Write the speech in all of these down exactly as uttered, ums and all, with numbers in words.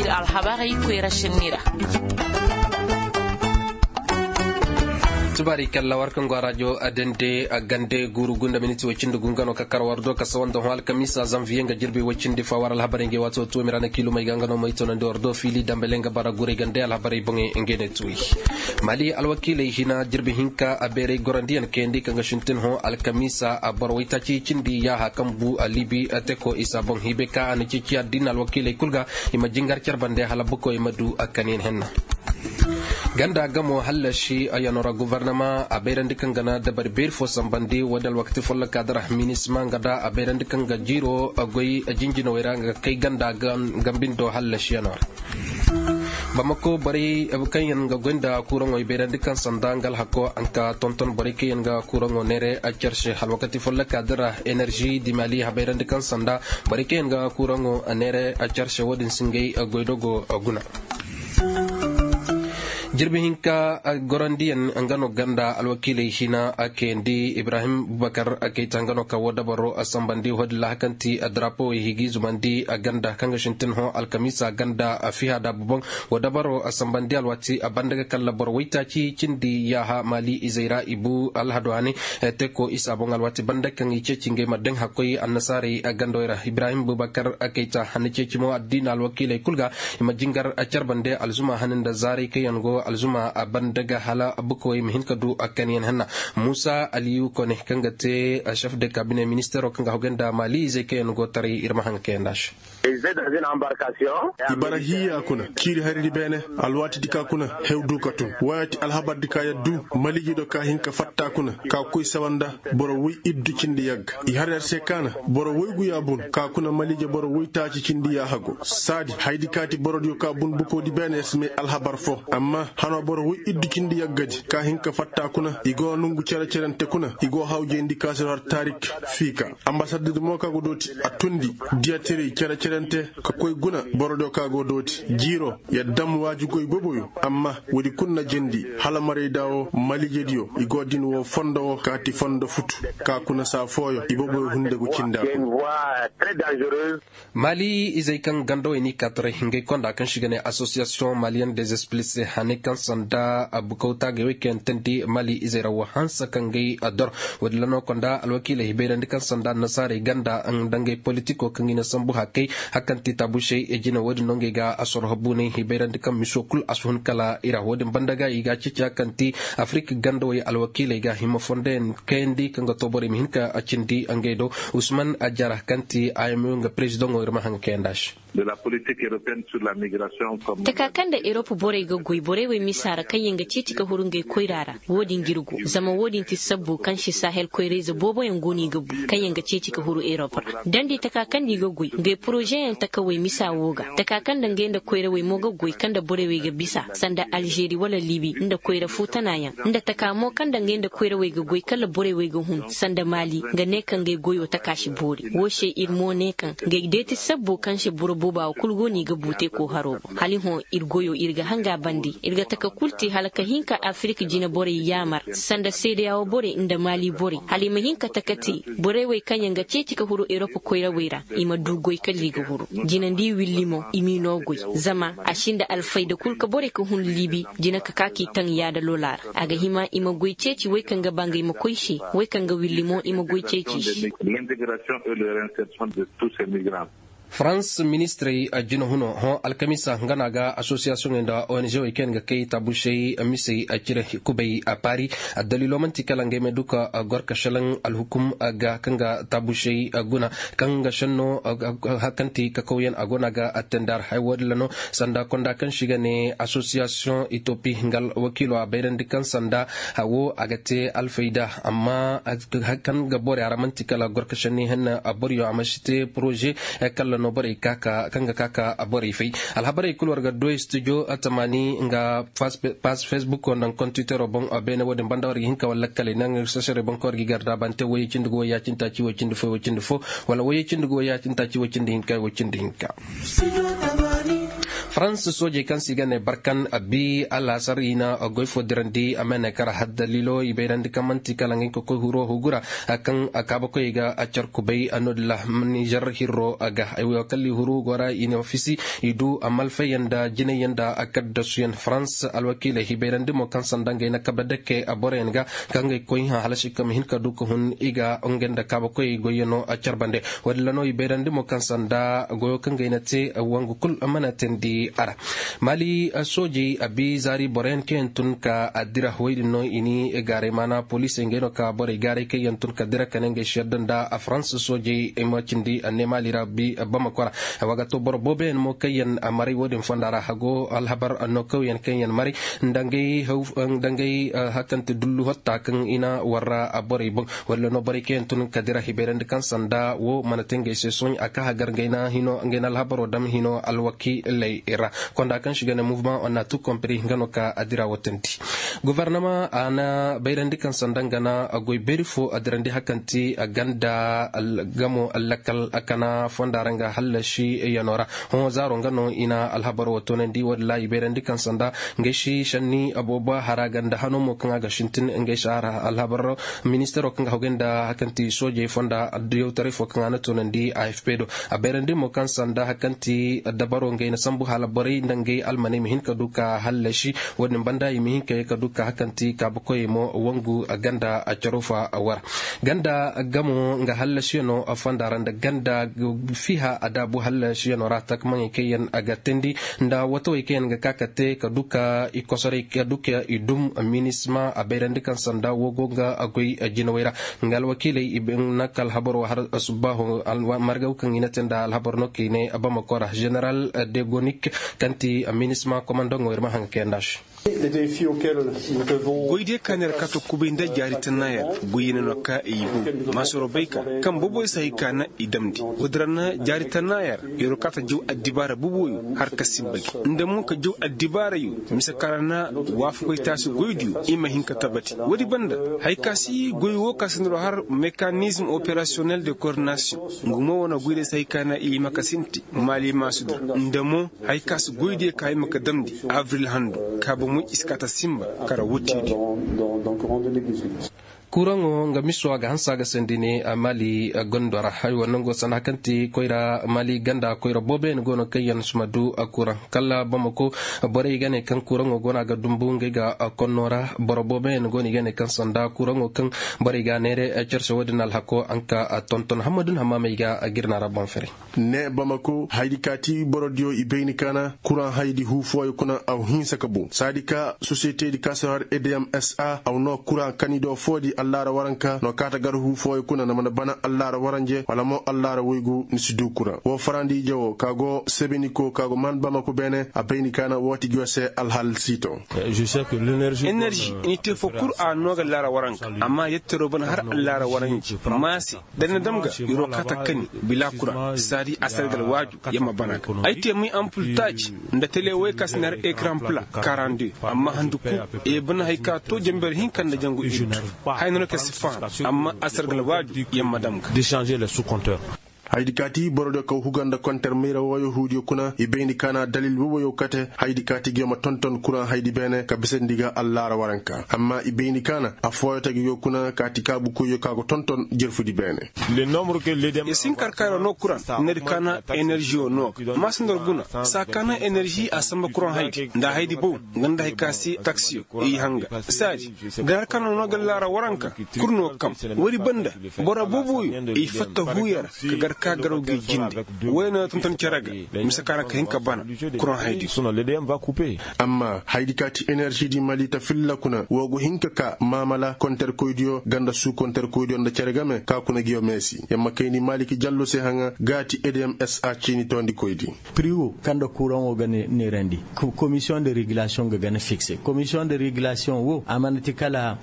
Alhabarey koyra sinni ra. Tubaari kalla war kaŋ go a rajo a dande a gande guuru gunda miniti way cindi gu nga no ka kar war do ka sawanda hõ alkamiisa zanviye nga jirbi way cindi fa war alhabarey ngey waato tuumi ra na kiilumey ga nga no may toonandi war do fiili dambale nga bara guray gande alhabarey boŋey ngey ne tuuyi. Mali alwakiiley hina jirbi hinka a beeray gorandiyaŋ kayandi kaŋ ga sintin hõ alkamiisa a boro waytaaci cindi yaaha kaŋ bu a liibi teko isa boŋ hiibay ka a na ceeci addiina alwakiiley kul ga i ma jingar care bande hala bukawey ma du a kaniyaŋ henna. Ganda gamo hallasi a yanora gobornama a bayrandi kaŋ ga na dabari beeri fo sambandi wo- din alwakati folloka dira minisma nga da a bayrandi kaŋ ga jiiro a goy jinjinawey ra nga ga kay ganda gambindo hallasi yanora. Bamako borey kaŋ yaŋ ga goy nda kuraŋo i bayrandi kaŋ sanda nga alhako a nka tonton borey kaŋ yaŋ ga kuraŋo neere a care se alwakati folloka dira enerzi dimali a bayrandi kaŋ sanda borey kaŋ yaŋ ga kuraŋo neere a care se wo- din si ngey goydogo guna. Jirbi hinka gorandiyaŋ nga no ganda alwakiiley hina a kayandi ibrahim bubakar a kayta nga no ka wo dabaro a sambandi wo- din ra hakanti a darapowey higi zumandi a ganda kaŋ ga sintin hõ alkamiisa ganda a fiha da buboŋ wo dabaro a sambandi alwaati a banda ga kalla boro waytaaci cindi yaaha maali izey ra i bu alhado hane. Teko isa boŋ alwaati banda kaŋ i ceeci ngey ma daŋ hakkoy annasaarey a gandawey ra ibrahim bubakar a kayta hanna ceeci mo addiina alwakiiley kul ga i ma jingar a care bande alzuma hane nda zaaray kaŋ yaŋ go alzuma a banda ga hala bukawey ma hin ka du a kaniyaŋ henna. Musa aliyu kone kaŋ ga te chef de kabine ministeero kaŋ ga hawgay nda maali izey kaŋ yaŋ go taray ir ma haŋ ga kayandi a se. I bara hiiya kuna ciiri haridi beene. Alwaatidi ka kuna hew du ka tun wayati alhabardi ka yaddu maliije do ka hin ka fatta kuna ka koy sawa nda boro woy iddu cindi yagga i har yar se kaana boro woygu ya bun ka kuna maliije boro woytaaci cindi yaaha go saadi haydi kaati borodiyo ka bun bukoodi beene yar si may alhabar fo amma hano boro woy iddu cindi yaggadi ka hin ka fatta kuna i go nongu cere-cerente kuna i go hawjayndi kaasiro har taarik fiika. Ambasaddi di mo ka go dooti a tundi diyatirey cere-cerente ka koy guna borodiyo ka go dooti jiiro ya dam waaji goy boboyo amma woodi kul na jandi hala marayda wo malijediyo i go din wo fondo wo kaati fondo futu ka kuna saa fooyo i boboyo hunde go cinda. Maali izey kaŋ gandawey n'i kaa taray ngey konda kaŋ si ga ne asosiyasiyoŋ maliyen dezesplise haney kaŋ sanda bukawtaagey wey kaŋ yaŋ teendi maali izey ra wo hanse kaŋ ngey dor. Woodin ra no konda alwakiiley hibayrandi kaŋ sanda annasaarey ganda nda ngey politiko kaŋ i na sambu hakey hakkanti taabusey jine woodin no ngey ga asoroho buuney hibayrandi kaŋ miso kul a si hun kala i ra woodin banda ga i ga a ceeci hakkanti afirik gandawey alwakiiley ga hima fondoyaŋ kayandi kaŋ ga too borey ma hin ka cindi ngey do. Usman ajara kaŋ ti a m u nga perezidaŋo ir ma haŋ ga kayandi a se. Taka kaŋ nda erop borey ga goy borey wey misa ra kaŋ yaŋ ga ceeci ka huru ngey koyra ra. Wo-din ga ir go zama wo-din ti sabbu kaŋ se sahel koyrayze booboyaŋ go no i ga bu kaŋ yaŋ ga ceeci ka huru erop ra. Dandi taka kaŋ nda i ga goy ngey porozeyaŋ taka wey misa wo ga taka kaŋ nda ngey nda koyrawey mo ga goy kaŋ nda borey wey ga bisa sanda alžeri wala libi nda koyra fuutanayaŋ nda taka mo kaŋ nda ngey nda koyrawey ga goy kala borey wey ga hun sanda maali nga ne kaŋ ngey goyo taka si boori. Wo se ir mo ne kaŋ ngey deeti sabbo kaŋ se boro booba wo kul go no i ga bu te koo haro boŋ hala i hõ ir goyo ir ga hanga bande ir ga taka kul te hala ka hin ka afirik jine borey yaamar sanda seedeya wo borey nda maali borey hala i ma hin ka taka te borey wey kaŋ yaŋ ga ceeci ka huru erop koyrawey ra i ma du goy kala i ga huru. Jinandi willi mo i m'i no goy zama a sinda alfayda kul ka borey ka hun liibi jina ka ka k'i taŋ yaada lola ra a ga hima i ma goy ceeci wey kaŋ ga ba nga i ma koy se wey kaŋ ga willi mo i ma goy ceeci i se. Farans ministirey jinahunoo hõ alkamiisa nga no a ga asosiyasiyoŋey nda ong wey kaŋ yaŋ ga kay taabusey misey cire kubay paari. Addaliilo man'ti kala ngey ma du ka gor ka šelaŋ alhukum ga kaŋ ga taabusey guna kaŋ ga šenno kaŋ ti kakawyaŋ a go no a ga attendar haya woodin ra no sanda konda kaŋ se i ga ne asosiyasiyoŋ itopi nga alwakiilo a bayrandi kaŋ sanda wo a ga te alfayda amma kaŋ ga borey a ra man'ti kala gor ka šenni henna boroyo a ma si te poroze kalla no borey kaŋ ga ka ka borey fay. Alhabarey kul war ga du studio tamaani nga pass facebook wo nda kontitero boŋ. Beene wo-din banda war ga hin ka wala lakkaley naŋ sasarey boŋ kaŋ war ga i garda bante woyey cindi go woyey ya cindi taaci woy cindi fo woy cindi fo wala woyey cindi go woyey ya cindi taaci woy cindi hinka woy cindi hinka. Farans soojey kaŋ se i ga ne barkan a bi alaasar i na goy fo dirandi a ma ne kara haddalilo i bayrandi kaŋ man'ti kala nga hinka koy huru hugura kaŋ kaabakoyey ga a car kubay a no- din ra. Nizer hirro a ga ay wo kala i huru go ra i na fisi i du a malfayyaŋ nda jinayyaŋ nda a kaddasuyaŋ farans alwakiiley i bayrandi mo kaŋ sanda ngey na kabe dake a boroyaŋ ga kaŋ ga i koy hã hala si ka ma hin ka du ka hun i ga ngey nda kaabakoyey goyyaŋo a car bande. Wo- din ra no i bayrandi mo kaŋ sanda goyo kaŋ ga ay na te wangu kul mana teendi a ra. Maali soojey a bi zaari boroyaŋ kaŋ yaŋ tun ka a dira wey din no i ni gaaray maana poliisey ngey no ka borey gaaray kaŋ yaŋ tun ka dira ka ne ngey si yadda nda a farans soojey ay ma cindi a ne maali ra bi bamako ra. Wa ga to boro booboyaŋ mo kaŋ yaŋ maray wo- din fonda ra hago alhabar nookawyaŋ kaŋ yaŋ maray nda ngey hakante dullu hotta kaŋ i na war ra borey boŋ. Walla no borey kaŋ yaŋ tun ka dira hibayrandi kaŋ sanda wo mana te ngey se sohõ a ka hagar ngey na hino ngey na alhabaro dam hino alwakiiley ra. Konda kaŋ si ga ne mouvement on na tu compris nga no ka a dira wo tandi. Gofornama a na bayrandi kaŋ sanda nga na goy beeri fo a dirandi hakanti ganda gamo lakal a kana fonda ra nga hallasi yano ra. Hõ zaaro nga no i na alhabaro wo toonandi wo- din ra i bayrandi kaŋ sanda ngey si sanni abooba hara ganda hano mo kaŋ a ga sintin ngey si hara alhabar ministaro kaŋ ga hawgay nda hakanti soojey fonda addiyawtaray fo kaŋ a na toonandi a f p do. A bayrandi mo kaŋ sanda hakanti dabaro ngey na sambu hala borey nda ngey almaney ma hin ka du ka hallasi wo- din banda i ma hin ka ye ka du ka hakanti kaabakoyey mo wangu ganda a caro fa war ganda gamo nga hallasiyano a fonda ra nda ganda fiha a daabu hallasiyano ra takamaŋey kaŋ yaŋ a ga teendi nda watawey kaŋ yaŋ ga ka ka te ka du ka i kosoray ka du ka i dum minisma a bayrandi kaŋ sanda wo go nga a goy jinawey ra. Nga alwakiiley i na ka alhabaro har subbaaho margaw kaŋ i na te nda alhabar no kaŋ i ne bamako ra general degonik kaŋ ti minisma komandaŋo ir ma haŋ ga kayanda se. Goy diyo ka neera ka to kubay nda jaari tanna yer goy yer no ka i bow maasoro bay ka kaŋ boboy si hay ka na i damndi. Woo din ra na jaari tanna yer yeroo ka ta jaw addibaara boboyo har ka sinba gi nda mo ka jaw addibaarayo mise ka ra na waafakoy taasi goydiyo i ma hin ka tabati woodi banda. Hay ka si goy woo ka si neeroo har mekanizm operasiyonel de koordinasiyoŋ nga mo wane goydiyo si hay ka na i hima ka sinti maali maasudi ra nda mo hay ka si goydiyo ka hima ka damndi abril handu kaaba moy i si ka ta sinba kara wuttidiyo. Kuraŋo nga miso a ga hanse a ga sandi ne a maali gondo ra hay woo nango sanaha kaŋ ti koyra maali ganda koyra booboyaŋ go no kaŋ yaŋ si ma du kuraŋ kala bamako. Borey ga ne kaŋ kuraŋo go no a ga dumbu ngey ga konno ra boro booboyaŋ go no i ga ne kaŋ sanda kuraŋo kaŋ borey ga a neere cerse woo din alhako a nka tonton hammadu na hammaamey ga a ga ir na ra boŋ fere. Ne bamako haydi ka ti borodiyo i bayni ka na kuraŋ haydi huu fooyo kuna aw hinsa ka boŋ saadi ka sosiyetedi ka si har edeyam s a aw no kuraŋ kanido foodi allaara waranka no kaata gar huu fooyo kuna na mana bana allaara waranje wala mo allaara woygu ni si du kuraŋ woo farandiije woo ka go sebeniko ka go man bamako beene a bayni ka na wooti gi woo se alhal siito. Enerži ni te fo kul a no ga allaara waranka amma yetteroo bana har allaara waranje maase. Da ni na dam ga yeroo kaata kani bila kuraŋ saadi a sargal waaju yer ma bana ga ay te muy ampul taaci nda tele way ka si na har ekran pla karande amma handu kul yer bana hay ka to jamber hinka nda jangu iddu. Hay no na ka si faham amma a sargal waaju yer ma dam ga. Haydi kaati borodiyo kaw huga nda konter mayra wooyo huudiyo kuna i bayndi ka na dalil wowoyo kate haydi kaati ngiyo ma tonton kuraŋ haydi beene ka bisandi ga allaara waranka amma i bayndi ka na affooyo ta ngiyo kuna kaati kaabukoyyo ka go tonton jerfudi beene. Yer si hin ka har ka yeroo noo kuraŋ nda di ka na eneržiyo noo ga maasandor guna saa ka na enerži a samba kuraŋ haydi nda haydi bow nga nda hay ka se taksiyo i hanga saadi. Gar har ka na noo ga allaara waranka kurnoo kam woodi banda boro booboyo i fatta huuya ra ka gar ka garaw gi jinde woy no tonton cere ga mise ka ra ka hin ka bana kuraŋ haydi. Amma haydi ka ti enerži di mali ta filla kuna woo go hin ka ka maamala konterkoydiyo ganda suu konterkoydiyo nda cere game ka kuna ngiyo meesi yer ma kayndi mali ki jallo se haŋa ga ti edeyam s a ciini toondikoydi. Piri woo kaŋ nda kuraŋo ga neerandi komisiyoŋ de regulasiyoŋ ga gana fikse komisiyoŋ de regulasiyoŋ woo a mana ti kala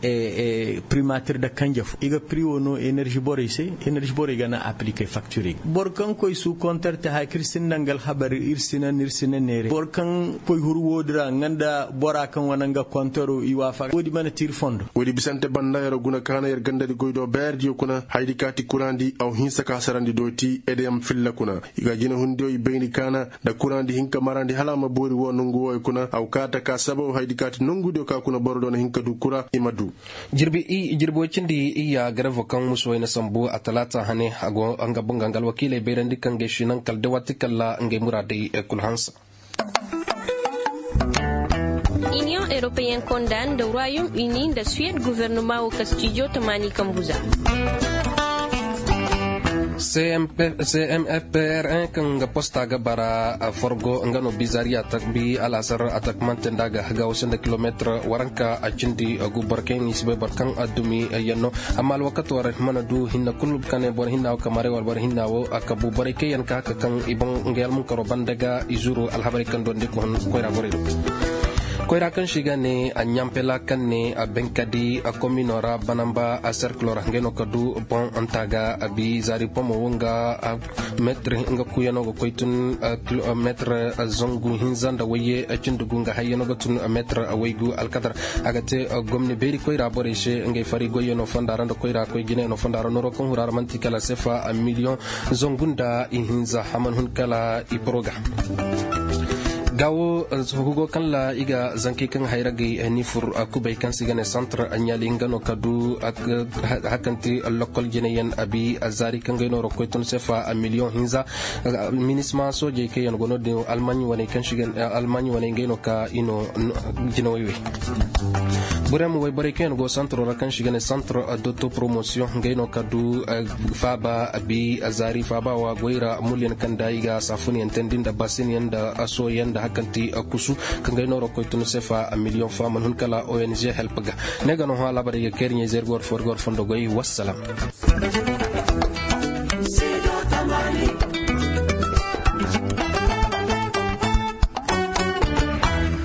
primatir nda kanje fo i ga piri woo no enerži borey se enerži borey ga na aplike faktir. Boro kaŋ koy suu kontor te haya kaŋ ir sinda nga alhabar ir sina neere boro kaŋ koy huru woodi ra nga nda bora kaŋ wane nga kontoro i waafaka woodi mana te ir fondo. Woodi bisante banda yer guna kaana yer gandadi goy do beerdiyo kuna hayadi kaati kuraandi aw hinsa ka sarandi do ti edeyaŋ filla kuna. I ga jinehundiyo i bayndi kaana nda kuraandi hinka marandi hala a ma boori woo nongu wooyo kuna aw kaata ka sababu hayadi kaati nongudiyo ka kuna boro do na hin ka du kura i ma du. Jirbi woy cindi iyya garevo kaŋ musu wayna sambu a talaata hane a go nga bunga nga alwakiiley bayrandi kaŋ ga ay si naŋ kala day waati kala ngey muraadey kul hanse. Iniyoŋ europeyen konda nda royaume uni nda suwed guvernoma wo ka stijo tamaani kambu za. Cmfpr un kaŋ ga posta ga bara forgo nga no bizariya takbi alasar a takmante nda ga hagawo sanda kilometir waranka a cindi gu boro kaŋ i si bay boro kaŋ a dumi yanno. Amma alwakato ra mana du hinna kulu kane boro hinna wo kamare wala boro hinna wo a kabu borey kaŋ yaŋ ka haka kaŋ i boŋ nga yalmunkaro banda ga i zuru alhabarey kaŋ dondi ga hun koyra borey do. Koyra kaŋ si ga ne a ɲampela kaŋ ne a benkadi a komino ra banamba a serkilo ra ngey no ka du boŋ nta ga a bi zaari pomo wo nga metir nga kuyano ga koy tun metir zangu hinza nda wayye cindi gu nga hayyano ga tun metir waygu alkadar. A ga te gomni beeri koyra borey se ngey fari goyyano fonda ra nda koyra koy jinayano fonda ra noro kaŋ hura ra manti kala sefa miliyoŋ zangu nda ihinza a mana hun kala i poroga. Ga wo hugo kaŋ ra i ga zankey kaŋ hayra gay ni fur kubay kaŋ se i ga ne santar ɲaali nga no ka du hakanti lokol jinayaŋ a bi a zaari kaŋ gay no ra koy tun sefa miliyoŋ hinza. Minisma soojey kaŋ yaŋ go no din almaɲ wane kaŋ se i ga ne almaɲ wane ngey no ka i no jinawey wey. Burem wayborey kaŋ yaŋ go santaro ra kaŋ se i ga ne santar doto promosiyoŋ ngey no ka du faaba a bi a zaari faaba wa goy ra mulyaŋ kaŋ da i ga saafunyaŋ teendi nda basinyaŋ nda soyaŋ nda hakanti kusu kaŋ gay nooro koy tun sefa miliyoŋ fo a mana hun kala ong help ga. Ne ga no hõ alaabarey ga kayri ɲayzey ir ga war fo ir ga war fondo goy wassalam.